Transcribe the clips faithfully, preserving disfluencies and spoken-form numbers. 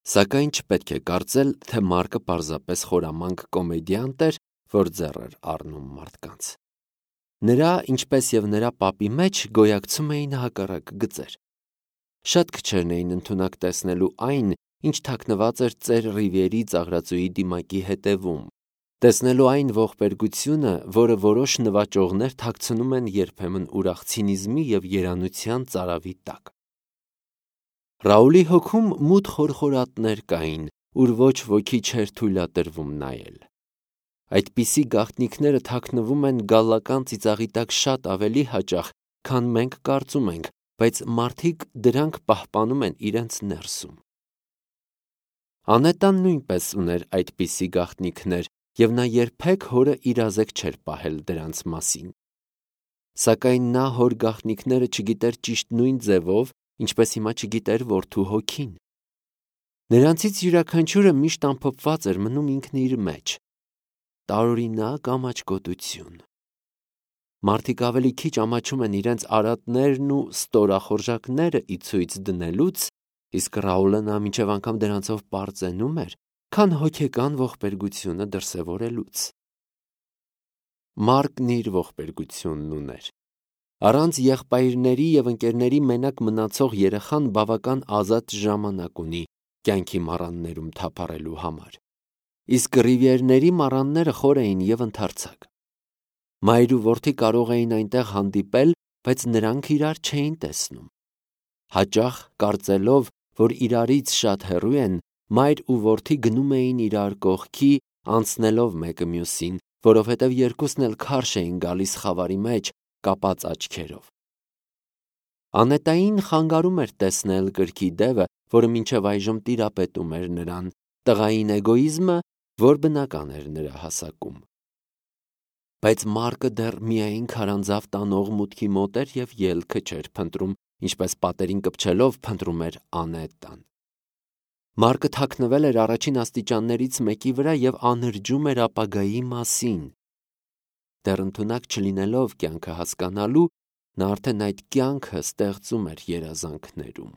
Սակայն չպետք է կարծել, թե Մարկը պարզապես խորամանկ կոմեդիանտ էր, որ ձեռ էր առնում մարդկանց։ Նրա, ինչպես և նրա պապի մեջ գոյակցում էին հակառակ գծեր։ Շատ քչերն էին ընդունակ տեսնելու այն, ինչ թաքնված էր ծեր Ռիվիերի ծաղրածուի դիմակի հետևում, տեսնելու այն ողբերգությունը, որը որոշ նվաճողներ թաքցնում են երբեմն ուրախ ցինիզմի և երանության ծարավի տակ։ Ռաուլի հոգում մութ խորխորատներ կային, ուր ոչ ոքի չէր թույլատրվում նայել։ Այդպիսի գաղտնիքները թաքնվում են գալլական ծիծաղի տակ շատ ավելի հաճախ, քան մենք կարծում ենք, բայց մարդիկ դրանք պահպանում են իրենց ներսում։ Անետան նույնպես ուներ այդպիսի գաղտնիքներ, և նա երբեք հորը իրազեկ չէր պահել դրանց մասին։ Սակայն նա հոր գաղտնիքները չգիտեր ճիշտ նույն ձևով, ինչպես հիմա չգիտեր որդու հոգին։ Նրանցից յուրաքանչյուրը միշտ ամփոփված էր մնում ինքն իր մեջ։ Տարօրինակ ամաչկոտություն։ Մարդիկ ավելի քիչ ամաչում են իրենց արատներն ու ստորախորժակները ի ցույց դնելուց, իսկ Ռաուլը նա մինչև անգամ դրանցով պարծենում էր, քան հոգեկան ողբերգությունը դրսևորելուց։ Մարկն իր ողբերգությունն ուներ։ Առանց եղբայրների և ընկերների մենակ մնացող երեխան բավական ազատ ժամանակ ունի կյանքի մառաններում թափառելու համար, իսկ Ռիվիերների մառանները խոր էին և ընդարձակ։ Մայր ու որդի կարող էին այնտեղ հանդիպել, բայց նրանք իրար չէին տեսնում։ Հաճախ, կարծելով, որ իրարից շատ հեռու են, մայր ու որդի գնում էին իրար կողքի, անցնելով մեկը մյուսին, որովհետև երկուսն էլ քարշ էին գալիս խավարի մեջ, կապած աչքերով։ Անետային խանգարում էր տեսնել կրքի դևը, որը մինչև այժմ տիրապետում էր նրան, տղային էգոիզմը, որ բնական էր նրա հասակում։ Բայց Մարկը դեռ միայն քարանձավ տանող մուտքի մոտ էր և ելքը չէր փնտրում, ինչպես պատերին կպչելով փնտրում էր Անետան։ Մարկը թաքնվել էր առաջին աստիճաններից մեկի վրա և անհրջում էր ապագայի մասին։ Դեռ ընդունակ չլինելով կյանքը հասկանալու, նա արդեն այդ կյանքը ստեղծում էր երազանքներում։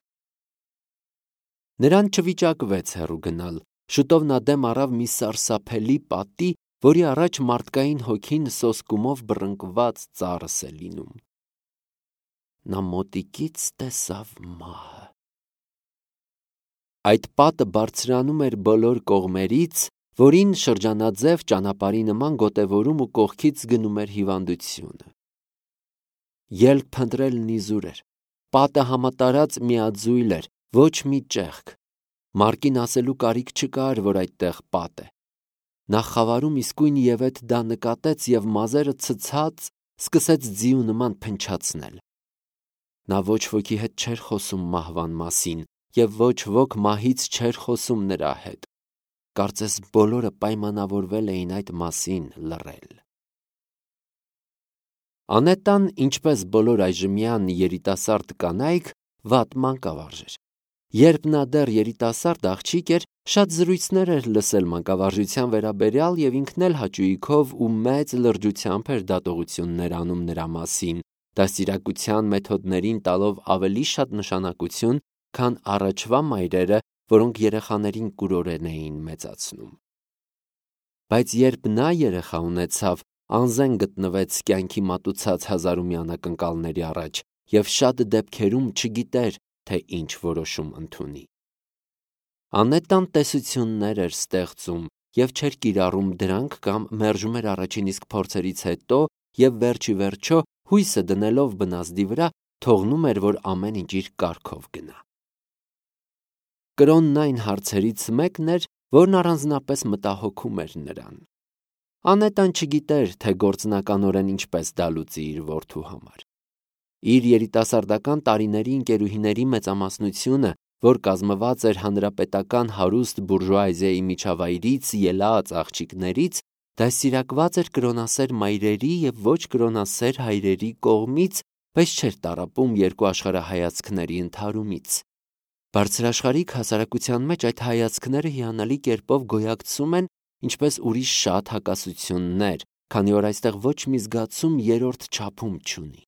Նրան չվիճակվեց հեռու գնալ, շուտով նա դեմ առավ մի սարսափելի պատի, որի առաջ մարդկային հոգին սոսկումով բռնկված ծառս է լինում։ Նա մոտիկից տեսավ մահը։ Այդ պատը բարձրանում էր բոլոր կողմերից, որին շրջանաձև ճանապարհի նման գոտևորում ու կողքից գնում էր հիվանդությունը։ Ելք փնտրելն իզուր էր։ Պատը համատարած միաձույլ էր, ոչ մի ճեղք։ Մարկին ասելու կարիք չկար, որ այդտեղ պատ է։ Նա խավարում իսկույն ևեթ դա նկատեց և մազերը ցցած սկսեց ձիու նման փնչացնել։ Նա ոչ ոքի հետ չէր խոսում մահվան մասին, և ոչ ոք մահից չէր խոսում նրա հետ։ Կարծես բոլորը պայմանավորվել էին այդ մասին լռել։ Անետան, ինչպես բոլոր այժմյան երիտասարդ կանայք, վատ մանկավարժ էր։ Երբ նա դեռ երիտասարդ աղջիկ էր, շատ զրույցներ էր լսել մանկավարժության վերաբերյալ և ինքն էլ հաճույքով ու մեծ լրջությամբ էր դատողություններ անում նրա մասին, դաստիարակության մեթոդներին տալով ավելի շատ նշանակություն, քան առաջվա մայրերը, որոնք երեխաներին կուրորեն էին մեծացնում։ Բայց երբ նա երեխա ունեցավ, անզեն գտնվեց կյանքի մատուցած հազարումյա անակնկալների առաջ և շատ դեպքերում չգիտեր, թե ինչ որոշում ընդունի։ Անետան տեսություններ էր ստեղծում և չէր կիրառում դրանք կամ մերժում էր առաջին իսկ փորձերից հետո և վերջիվերջո հույսը դնելով բնազդի վրա, թողնում էր, որ ամեն ինչ իր կարգով գնա։ Կրոնն այն հարցերից մեկն էր, որն առանձնապես մտահոգում էր նրան։ Անետան չգիտեր, թե գործնականորեն ինչպես դա լուծի իր որդու համար։ Իր երիտասարդական տարիների ընկերուհիների մեծամասնությունը, որ կազմված էր հանրապետական հարուստ բուրժուազիայի միջավայրից ելած աղջիկներից, դաստիարակված էր կրոնասեր մայրերի և ոչ կրոնասեր հայրերի կողմից, բայց չէր տառապում երկու աշխարհայացքների ընդհարումից։ Բարձրաշխարհիկ հասարակության մեջ այդ հայացքները հիանալի կերպով գոյակցում են, ինչպես ուրիշ շատ հակասություններ, քանի որ այստեղ ոչ մի զգացում երրորդ չափում չունի։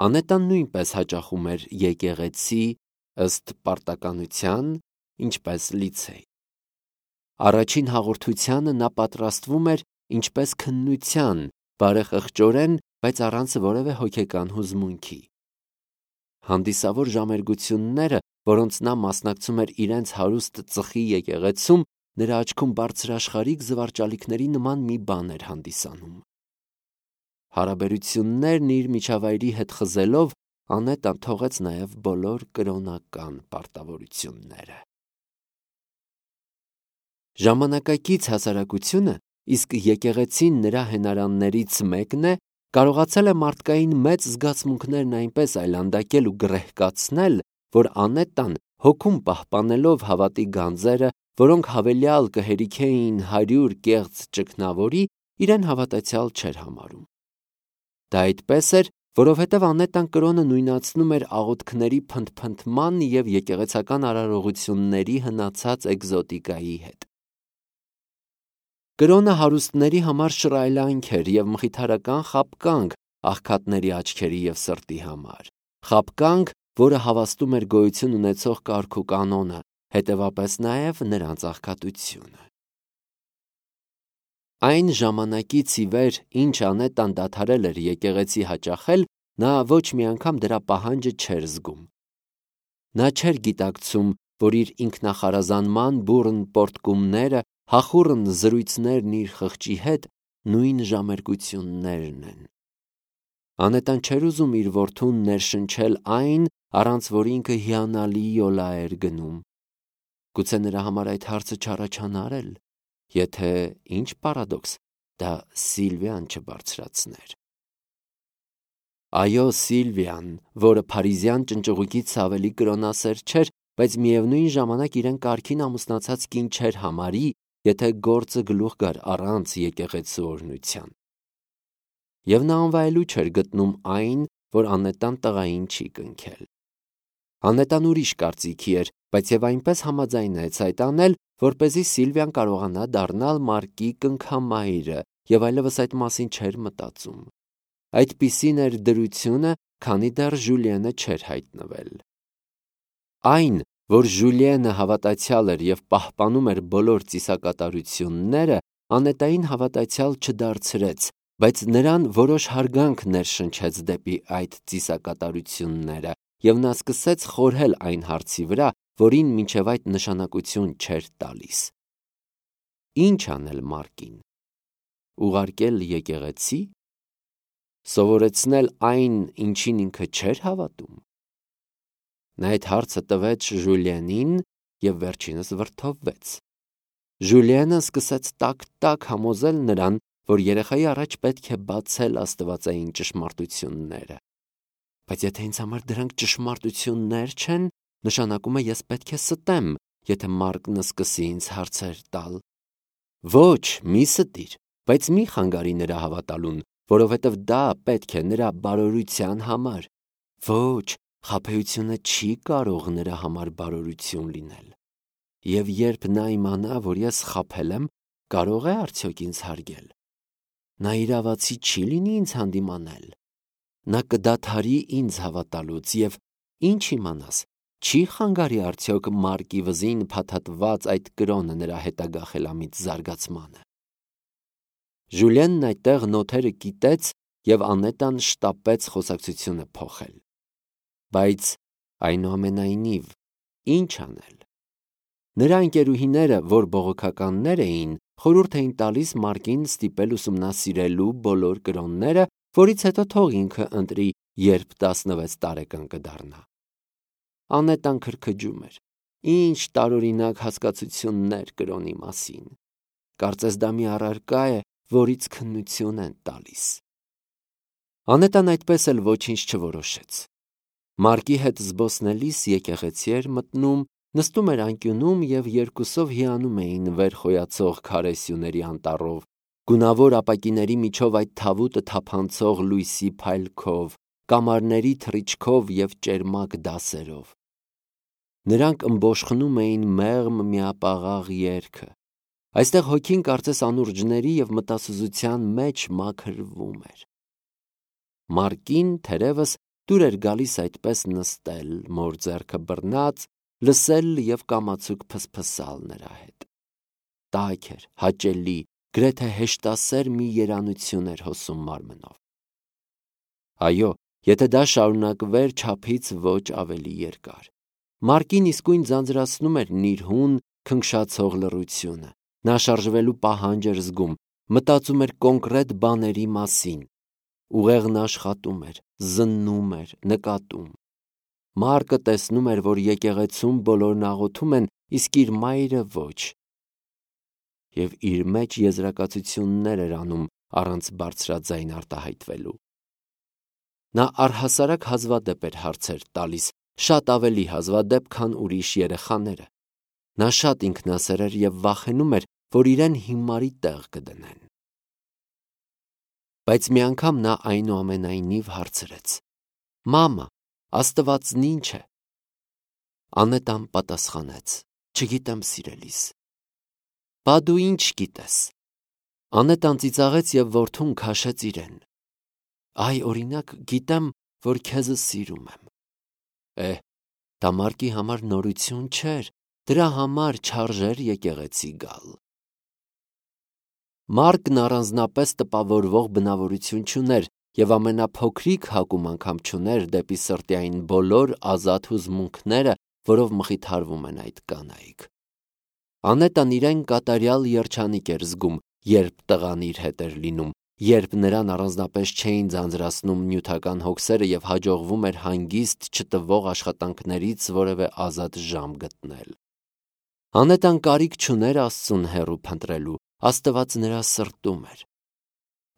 Անետան նույնպես հաճախում էր եկեղեցի, ըստ պարտականության, ինչպես լիցեյ։ Առաջին հաղորդությանը նա պատրաստվում էր ինչպես քննության, բարեխղճորեն, բայց առանց որևէ հոգեկան հուզմունքի։ Հանդիսավոր ժամերգությունները, որոնց նա մասնակցում էր իրենց հարուստ ծխի եկեղեցում, նրա աչքում բարձրաշխարհիկ զվարճալիքների նման մի բան էր հանդիսանում։ Հարաբերություններն իր միջավայրի հետ խզելով, Անետան թողեց նաև բոլոր կրոնական պարտավորությունները։ Ժամանակակից հասարակությունը, իսկ եկեղեցին նրա հենարաններից մեկն է, կարողացել է մարդկային մեծ զգացմունքներն այնպես այլանդակել ու գրեհկացնել, որ Անետան, հոգում պահպանելով հավատի գանձերը, որոնք հավելյալ կհերիքեին հարյուր կեղծ ճգնավորի, իրեն հավատացյալ չէր համարում։ Դա այդպես էր, որովհետև Անետան կրոնը նույնացնում էր աղոթքների փնթփնթման և եկեղեցական արարողությունների հնացած էկզոտիկայի հետ։ Կրոնը հարուստների համար շռայլանք էր և մխիթարական խաբկանք աղքատների աչքերի և սրտի համար, խաբկանք, որը հավաստում էր գոյություն ունեցող կարգ ու կանոնը, հետևապես նաև նրանց աղքատությունը։ Այն ժամանակից ի վեր, ինչ Անետան դադարել էր եկեղեցի հաճախել, նա ոչ մի անգամ դրա պահանջը չէր զգում։ Նա չէր գիտակցում, որ իր ինքնախարազանման բուռն պոռթկումները, հախուռն զրույցներն իր խղճի հետ նույն ժամերգություններն են։ Անետան չէր ուզում իր որդուն ներշնչել այն, առանց որ ինքը հիանալի յոլա էր գնում։ Գուցե նրա համար այդ հարցը չառաջանար էլ, եթե, ինչ պարադոքս, դա Սիլվիան չբարձրացներ։ Այո, Սիլվիան, որը փարիզյան ճնճղուկից ավելի կրոնասեր չէր, բայց միևնույն ժամանակ իրեն կարգին ամուսնացած կին չէր համարի, եթե գործը գլուխ գար առանց եկեղեցու օրհնության։ Եվ նա անվայելույթ չէր գտնում այն, որ Անետան տղային չի կնքել։ Անետան ուրիշ կարծիքի էր, բայց և այնպես համաձայնեց այդ անել, որպեսզի Սիլվիան կարողանա դառնալ Մարկի կնքամայրը և այլևս այդ մասին չէր մտածում։ Այդպիսին էր դրությունը, քանի դեռ Ժուլիենը չէր հայտնվել։ Այն, որ Ժուլիենը հավատացյալ էր և պահպանում էր բոլոր ծիսակատարությունները, Անետային հավատացյալ չդարձրեց, բայց նրան որոշ հարգանք ներշնչեց դեպի այդ ծիսակատարությունները, և նա սկսեց խորհել այն հարցի վրա, որին մինչև այդ նշանակություն չէր տալիս։ Ինչ անել Մարկին։ Ուղարկել եկեղեցի։ Սովորեցնել այն, ինչին ինքը չէր հավատում։ Նա այդ հարցը տվեց Ժուլիենին և վերջինս վրդովվեց։ Ժուլիենը սկսեց տակ-տակ համոզել նրան, որ երեխայի առաջ պետք է բացել աստվածային ճշմարտությունները։ Բայց եթե ինձ համար դրանք ճշմարտություններ չեն, նշանակում է ես պետք է ստեմ, եթե Մարկն սկսի ինձ հարցեր տալ։ Ոչ, մի ստիր, բայց մի խանգարի նրա հավատալուն, որովհետև դա պետք է նրա բարօրության համար։ Ոչ, խաբեությունը չի կարող նրա համար բարօրություն լինել։ Եվ երբ նա իմանա, որ ես խաբել եմ, կարող է արդյոք ինձ հարգել։ Նա իրավացի չի լինի ինձ հանդիմանել։ Նա կդադարի ինձ հավատալուց և, ինչ իմանաս, չի խանգարի արդյոք Մարկի վզին փաթաթված այդ կրոնը նրա հետագա խելամիտ զարգացմանը։ Ժուլիենն այդտեղ նոթերը կիտեց և Անետան շտապեց խոսակցությունը փոխել։ Բայց այնուամենայնիվ, ինչ անել։ Նրա ընկերուհիները, որ բողոքականներ էին, խորհուրդ էին տալիս Մարկին ստիպել ուսումնասիրելու բոլոր կրոնները, որից հետո թող ինքը ընտրի, երբ տասնվեց տարեկան կդառնա։ Անետան քրքջում էր. ինչ տարօրինակ հասկացություններ կրոնի մասին։ Կարծես դա մի առարկա է, որից քննություն են տալիս։ Անետան այդպես էլ ոչինչ չորոշեց։ Մարկի հետ զբոսնելիս եկեղեցի էր մտնում, նստում էր անկյունում և երկուսով հիանում էին վեր խոյացող քարե սյուների անտառով, գունավոր ապակիների միջով այդ թավուտը թափանցող լույսի փայլքով, կամարների թռիչքով և ճերմակ դասերով։ Նրանք ըմբոշխնում էին մեղմ միապաղաղ երգը։ Այստեղ հոգին կարծես անուրջների և մտասուզության մեջ մաքրվում էր։ Մարկին, թերևս, դուր էր գալիս այդպես նստել, մոր ձեռքը բռնած, լսել և կամացուկ փսփսալ նրա հետ։ Տաք էր, հաճելի, գրեթե հեշտասեր մի երանություն էր հոսում մարմնով։ Այո, եթե դա շարունակվեր չափից ոչ ավելի երկար։ Մարկին իսկույն ձանձրացնում էր նիրհուն, քնքշացող լռությունը։ Նա շարժվելու պահանջ էր զգում, մտածում էր կոնկրետ բաների մասին։ Ուղեղն աշխատում էր, զննում էր, նկատում։ Մարկը տեսնում էր, որ եկեղեցում բոլորն աղոթում են, իսկ իր մայրը ոչ։ Եվ իր մեջ եզրակացություններ էր անում առանց բարձրաձայն արտահայտվելու։ Նա առհասարակ հազվադեպ էր հարցեր տալիս, շատ ավելի հազվադեպ, քան ուրիշ երեխաները։ Նա շատ ինքնասեր էր և վախենում էր, որ իրեն հիմարի տեղ կդնեն։ Բայց մի անգամ նա այնուամենայնիվ հարցրեց. «Մամա, Աստվածն ի՞նչ է»։ Անետան պատասխանեց. «Չգիտեմ, սիրելիս»։ «Բա դու ի՞նչ գիտես»։ Անետան ծիծաղեց և որդուն քաշեց իրեն։ «Այ, օրինակ, գիտեմ, որ քեզ սիրում եմ»։ Էհ, դա Մարկի համար նորություն չէր, դրա համար չարժեր եկեղեցի գալ։ Մարկն առանձնապես տպավորվող բնավորություն չուներ և ամենափոքրիկ հակում անգամ չուներ դեպի սրտի այն բոլոր ազատ հուզմունքները, որով մխիթարվում են այդ կանայք։ Անետան իրեն կատարյալ երջանիկ էր զգում, երբ տղան իր հետ էր լինում, երբ նրան առանձնապես չէին ձանձրացնում նյութական հոգսերը և հաջողվում էր հանգիստ չտվող աշխատանքներից որևէ ազատ ժամ գտնել։ Անետան կարիք չուներ Աստծուն հեռու փնտրելու, Աստված նրա սրտում էր։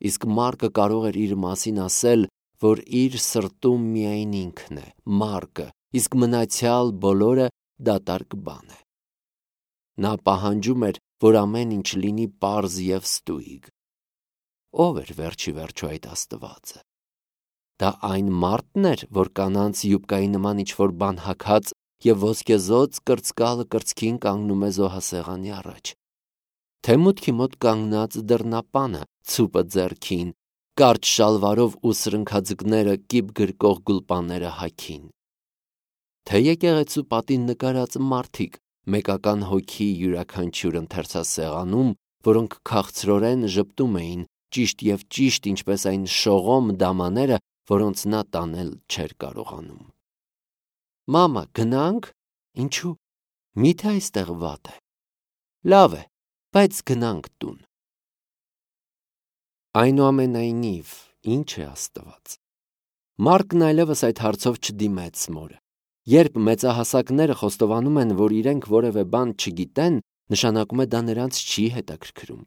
Իսկ Մարկը կարող էր իր մասին ասել, որ իր սրտում միայն ինքն է, Մարկը, իսկ մնացյալ բոլորը դատարկ բան է։ Նա պահանջում էր, որ ամեն ինչ լինի պարզ և ստույգ։ Ո՞վ էր վերջի վերջո այդ Աստվածը։ Դա այն մարդն էր, որ կանանց յուբկայի նման ինչ-որ բան հագած և ոսկեզօծ կրծկալը կրծքին կանգնում է զոհասեղանի առաջ, թե մուտքի մոտ կանգնած դռնապանը, ցուպը ձեռքին, կարճ շալվարով ու սրընքաձկները կիպ գրկող գուլպաները հագին, թե եկեղեցու պատին նկարած մարդիկ, մեկական հոգի յուրաքանչյուր ընթերցասեղանում, որոնք քաղցրորեն ժպտում էին, ճիշտ և ճիշտ, ինչպես այն շողոմ դամաները, որոնց նա տանել չէր կարողանում։ «Մամա, գնա՞նք»։ «Ինչու՞։ Մի՞թե այստեղ վատ է»։ «Լավ է, բայց գնանք տուն»։ Այնուամենայնիվ, ի՞նչ է Աստված։ Մարկն այլևս այդ հարցով չդիմեց մորը։ Երբ մեծահասակները խոստովանում են, որ իրենք որևէ բան չգիտեն, նշանակում է դա նրանց չի հետաքրքրում։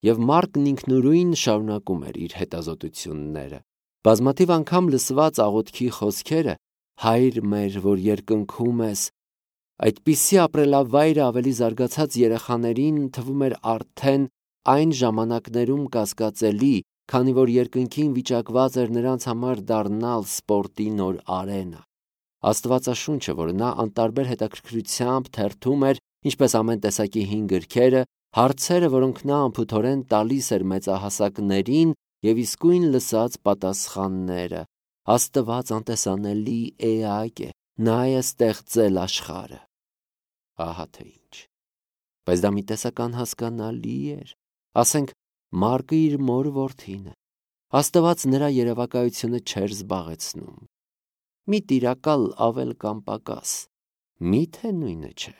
Եվ Մարկն ինքնուրույն շարունակում էր իր հետազոտությունները։ Բազմաթիվ անգամ լսված աղոթքի խոսքերը «Հայր մեր, որ երկնքում ես», այդպիսի ապրելավայրը ավելի զարգացած երեխաներին թվում էր արդեն այն ժամանակներում կասկածելի, քանի որ երկնքին վիճակված էր նրանց համար դառնալ սպորտի նոր արենա։ Աստվածաշունչը, որ նա անտարբեր հետաքրքրությամբ թերթում էր, ինչպես ամեն տեսակի հին գրքերը, հարցերը, որոնք նա անփութորեն տալիս էր մեծահասակներին, և իսկույն լսած պատասխանները։ Աստված անտեսանելի էակ է, նա է ստեղծել աշխարհը։ Ահա թե ինչ։ Բայց դա մի տեսակ անհասկանալի էր։ Ասենք, Մարկը իր մոր որդին է։ Աստված նրա երևակայությունը չէր զբաղեցնում։ Մի տիրակալ ավել կամ պակաս, մի՞թե նույնը չէ։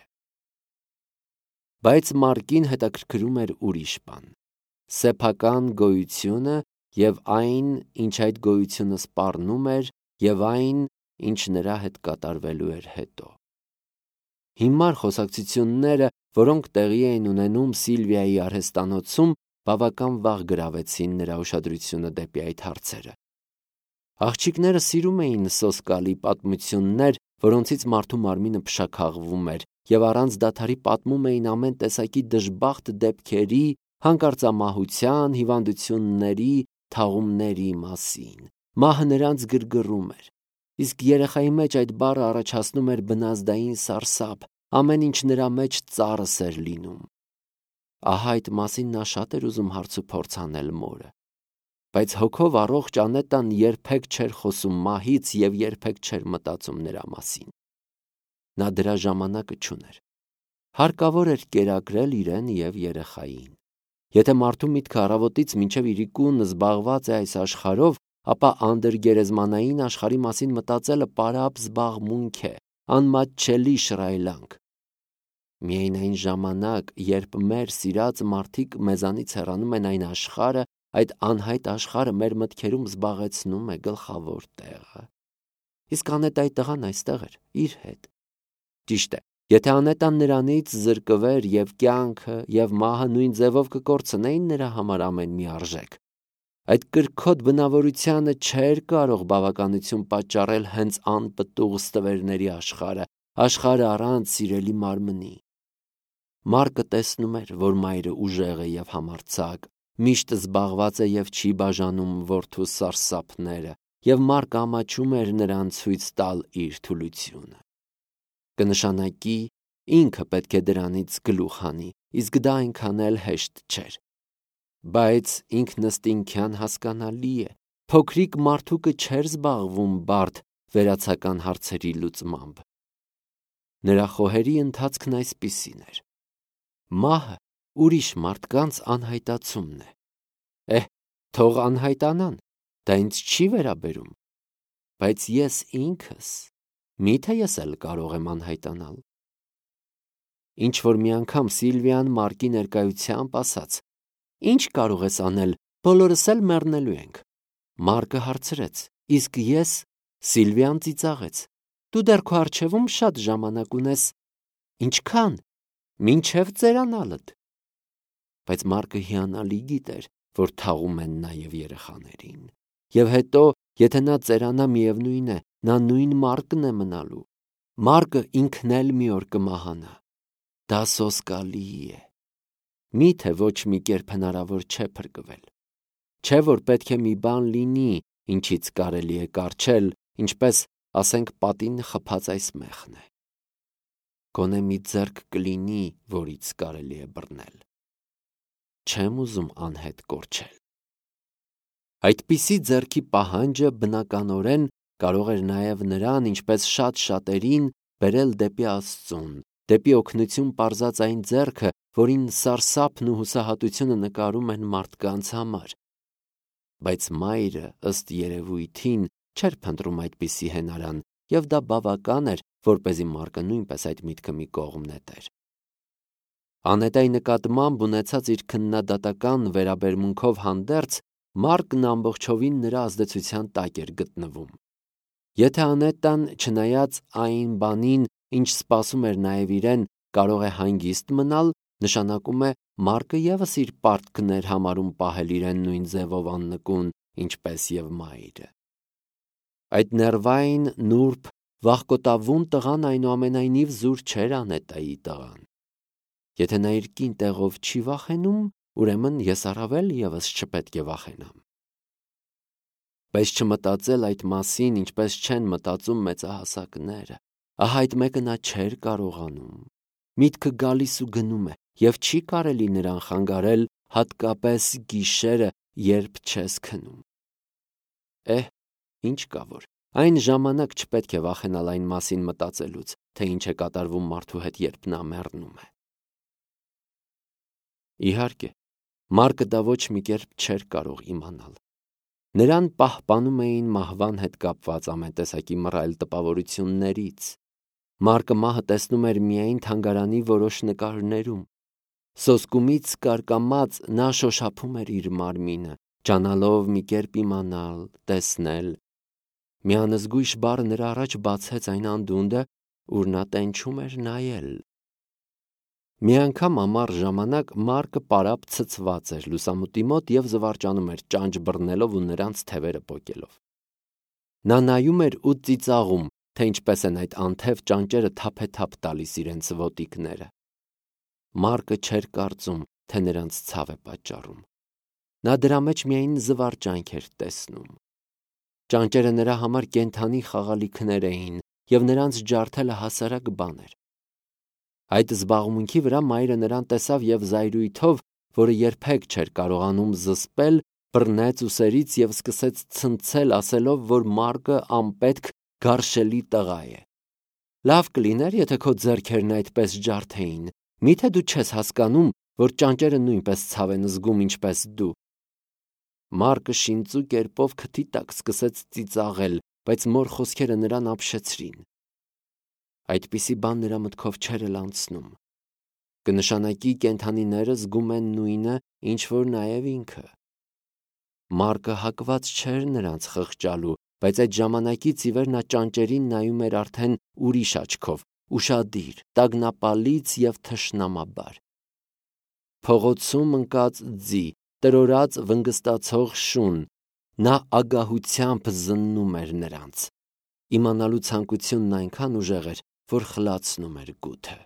Բայց Մարկին հետաքրքրում էր ուրիշ բան՝ սեփական գոյությունը և այն, ինչ այդ գոյությունը սպառնում էր, և այն, ինչ նրա հետ կատարվելու էր հետո։ Հիմար խոսակցությունները, որոնք տեղի էին ունենում Սիլվիայի արհեստանոցում, բավական վաղ գրավեցին նրա ուշադրությունը դեպի այդ հարցերը։ Աղջիկները սիրում էին սոսկալի պատմություններ, որոնցից մարդու մարմինը փշաքաղվում էր, և առանց դադարի պատմում էին ամեն տեսակի դժբախտ դեպքերի, հանկարծամահության, հիվանդությունների, թաղումների մասին։ Մահը նրանց գրգռում էր։ Իսկ երեխայի մեջ այդ բառը առաջացնում էր բնազդային սարսափ, ամեն ինչ նրա մեջ ծառս էր լինում։ Ահա այդ մասին նա շատ էր ուզում հարցուփորձ անել մորը։ Բայց հոգով առողջ Անետան երբեք չէր խոսում մահից և երբեք չէր մտածում նրա մասին։ նա դրա ժամանակը չուներ։ Հարկավոր էր կերակրել իրեն և երեխային։ Եթե մարդու միտքը առավոտից մինչև իրիկուն զբաղված է այս աշխարհով, ապա անդրգերեզմանային աշխարհի մասին մտածելը պարապ զբաղմունք է, անմատչելի շռայլանք։ Միայն այն ժամանակ, երբ մեր սիրած մարդիկ մեզանից հեռանում են, այն աշխարհը, այդ անհայտ աշխարհը մեր մտքերում զբաղեցնում է գլխավոր տեղը։ Իսկ Անետայի տղան այստեղ էր, իր հետ։ Ճիշտ է, եթե Անետան նրանից զրկվեր և կյանքը և մահը նույն ձևով կկորցնեին նրա համար ամեն մի արժեք, այդ կրքոտ բնավորությանը չէր կարող բավականություն պատճառել հենց անպտուղ ստվերների աշխարհը, աշխարհը առանց սիրելի մարմնի։ Մարկը տեսնում էր, որ մայրը ուժեղ է և համարձակ, միշտ զբաղված է և չի բաժանում որդու սարսափները, և Մարկը ամաչում էր նրան ցույց տալ իր թուլությունը։ Կնշանակի, ինքը պետք է դրանից գլուխ հանի, իսկ դա այնքան էլ հեշտ չէր։ Բայց ինքնըստինքյան հասկանալի է, փոքրիկ մարդուկը չէր զբաղվում բարդ վերացական հարցերի լուծմամբ։ Նրա խոհերի ընթացքն այսպիսին էր. մահը ուրիշ մարդկանց անհայտացումն է։ Էհ, թող անհայտանան, դա ինձ չի վերաբերում, բայց ես ինքս, միթե ես էլ կարող եմ անհայտանալ։ Ինչ-որ մի անգամ Սիլվիան Մարկի ներկայությամբ ասաց. «Ինչ կարող ես անել, բոլորս էլ մեռնելու ենք»։ Մարկը հարցրեց. «Իսկ ես»։ Սիլվիան ծիծաղեց. «Դու դեռ քո առջևում շատ ժամանակ ունես»։ «Ինչքան»։ «Մինչև ծերանալդ»։ Բայց Մարկը հիանալի գիտեր, որ թաղում են նաև երեխաներին։ Եվ հետո, եթե նա ծերանա, միևնույն է, նա նույն Մարկն է մնալու։ Մարկը ինքն էլ մի օր կմահանա։ Դա սոսկալի է։ Միթե ոչ մի կերպ հնարավոր չէ փրկվել։ Չէ՞ որ պետք է մի բան լինի, ինչից կարելի է կառչել, ինչպես, ասենք, պատին խփած այս մեղն է։ Գոնե մի ձեռք կլինի, որից կարելի է բռնել։ Չեմ ուզում անհետ կորչել։ Այդպիսի ձեռքի պահանջը բնականորեն կարող էր նաև նրան, ինչպես շատ շատերին, բերել դեպի Աստծուն, դեպի օգնություն պարզած այն ձեռքը, որին սարսափն ու հուսահատությունը նկարում են մարդկանց համար։ Բայց մայրը, ըստ երևույթին, չէր փնտրում այդպիսի հենարան, և դա բավական էր, որպեսզի Մարկը նույնպես այդ միտքը մի կողմ նետեր։ Անետայի նկատմամբ ունեցած իր քննադատական վերաբերմունքով հանդերձ, Մարկն ամբողջովին նրա ազդեցության տակ էր գտնվում։ Եթե Անետան, չնայած այն բանին, ինչ սպասում էր նաև իրեն, կարող է հանգիստ մնալ, նշանակում է Մարկը ևս իր պարտքն էր համարում պահել իրեն նույն ձևով աննկուն, ինչպես և մայրը։ Այդ նեղվային, նուրբ, վախկոտավուն տղան այնուամենայնիվ զուր չէր Անետայի տղան։ Եթե նա իր կին տեղով չի վախենում, ուրեմն ես առավել ևս չպետք է վախենամ։ Բայց չմտածել այդ մասին, ինչպես չեն մտածում մեծահասակները, ահա այդ մեկը նա չէր կարողանում։ Միտքը գալիս ու գնում է, և չի կարելի նրան խանգարել, հատկապես գիշերը, երբ չես քնում։ Էհ, ինչ կա որ, այն ժամանակ չպետք է վախենալ այն մասին մտածելուց, թե ինչ է կատարվում մարդու հետ, երբ նա մեռնում է։ Իհարկե, Մարկը դա ոչ մի կերպ չէր կարող իմանալ։ Նրան պահպանում էին մահվան հետ կապված ամեն տեսակի մռայլ տպավորություններից։ Մարկը մահը տեսնում էր միայն թանգարանի որոշ նկարներում։ Սոսկումից կարկամած նա շոշափում էր իր մարմինը, ջանալով մի կերպ իմանալ, տեսնել։ Մի անզգույշ բառ նրա առաջ բացեց այն անդունդը, ուր նա տենչում էր նայել։ Մի անգամ ամառ ժամանակ Մարկը պարապ ցցված էր լուսամուտի մոտ և զվարճանում էր, ճանճ բռնելով ու նրանց թևերը պոկելով։ Նա նայում էր ու ծիծաղում, թե ինչպես են այդ անթև ճանճերը թափեթափ տալիս իրենց ոտիկները։ Մարկը չէր կարծում, թե նրանց ցավ է պատճառում։ Նա դրա մեջ միայն զվարճանք էր տեսնում։ Ճանճերը նրա համար կենդանի խաղալիքներ էին, և նրանց ջարդելը հասարակ բան էր։ Այդ զբաղմունքի վրա մայրը նրան տեսավ և զայրույթով, որը երբեք չէր կարողանում զսպել, բռնեց ուսերից և սկսեց ցնցել, ասելով, որ Մարկը անպետք, գարշելի տղա է։ Լավ կլիներ, եթե քո ձեռքերն այդպես ջարդեին։ Միթե դու չես հասկանում, որ ճանճերը նույնպես ցավ են զգում, ինչպես դու։ Մարկը շինծու կերպով քթի տակ սկսեց ծիծաղել, բայց մոր խոսքերը նրան ապշեցրին։ Այդպիսի բան նրա մտքով չէր էլ անցնում։ Կնշանակի կենդանիները զգում են նույնը, ինչ որ նաև ինքը։ Մարկը հակված չէր նրանց խղճալու, բայց այդ ժամանակից ի վեր նա ճանճերին նայում էր արդեն ուրիշ աչքով, ուշադիր, տագնապալից և թշնամաբար։ Փողոցում ընկած ձի, տրորած վնգստացող շուն, նա ագահությամբ զննում էր նրանց։ Իմանալու ցանկությունն այնքան ուժեղ էր, որ խլացնում էր գութը։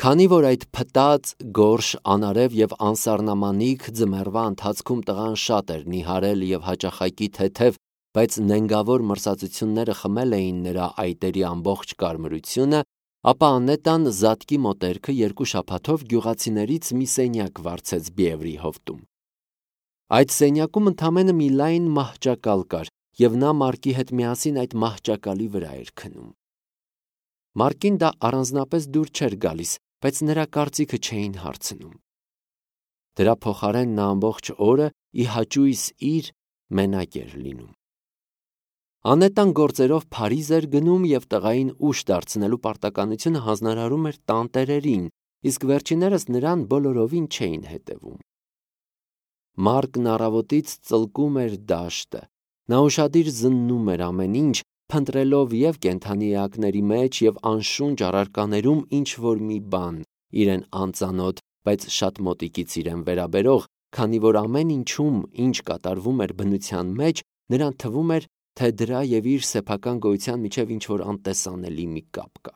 Քանի որ այդ փտած, գորշ, անարև և անսառնամանիք ձմեռվա ընթացքում տղան շատ էր նիհարել և հաճախակի թեթև, բայց նենգավոր մրսածությունները խմել էին նրա այտերի ամբողջ կարմրությունը, ապա Անետան զատկի մոտերքը երկու շաբաթով գյուղացիներից մի սենյակ վարձեց Բիևրի հովտում։ Այդ սենյակում ընդամենը մի լայն մահճակալ կար, և նա Մարկի հետ միասին այդ մահճակալի վրա էր քնում։ Մարկին դա առանձնապես դուր չէր գալիս, բայց նրա կարծիքը չէին հարցնում։ Դրա փոխարեն նա ամբողջ օրը ի հաճույս իր մենակ էր լինում։ Անետան գործերով Փարիզ էր գնում և տղային ուշ դարձնելու պարտականությունը հանձնարարում էր տանտերերին, իսկ վերջիններս նրան բոլորովին չէին հետևում։ Մարկն առավոտից ծլկում էր դաշտը։ Նա ուշադիր զննում էր ամեն ինչ, փնտրելով և կենդանի էակների մեջ և անշունչ առարկաներում ինչ-որ մի բան, իրեն անծանոթ, բայց շատ մոտիկից իրեն վերաբերող, քանի որ ամեն ինչում, ինչ կատարվում էր բնության մեջ, նրան թվում էր, թե դրա և իր սեփական գոյության միջև ինչ-որ անտեսանելի մի կապ կա։